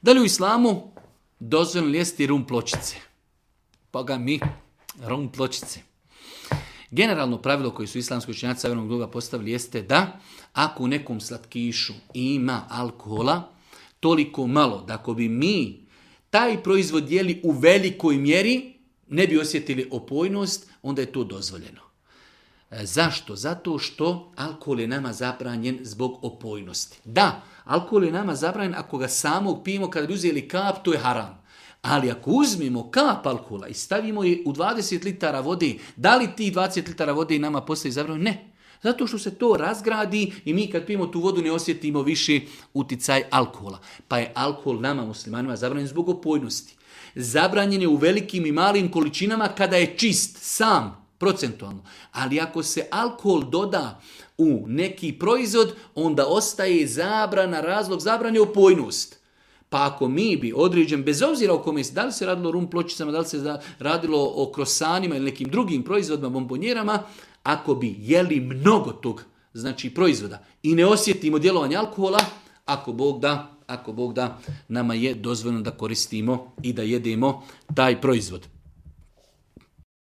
Da li u islamu dozvoljeno jesti rum pločice? Pa mi, rum pločice. Generalno pravilo koje su islamski učenjaci savremenog doba postavili jeste da ako u nekom slatkišu ima alkohola, toliko malo da ako bi mi taj proizvod jeli u velikoj mjeri, ne bi osjetili opojnost, onda je to dozvoljeno. Zašto? Zato što alkohol je nama zabranjen zbog opojnosti. Da, alkohol je nama zabranjen ako ga samog pijemo, kada bi uzeli kap, to je haram. Ali ako uzmemo kap alkohola i stavimo je u 20 litara vode, da li ti 20 litara vode nama postaje zabranjeno? Ne. Zato što se to razgradi i mi kad pijemo tu vodu ne osjetimo više uticaj alkohola. Pa je alkohol nama muslimanima zabranjen zbog opojnosti. Zabranjen je u velikim i malim količinama kada je čist, sam, procentualno. Ali ako se alkohol doda u neki proizvod, onda ostaje zabrana, razlog zabrane opojnost. Pa ako mi bi određen, bez obzira o kome se, da li se radilo o rum pločicama, da li se radilo o krosanima ili nekim drugim proizvodima, bombonjerama, ako bi jeli mnogo tog, znači proizvoda i ne osjetimo djelovanje alkohola, ako Bog da, nama je dozvoljeno da koristimo i da jedemo taj proizvod.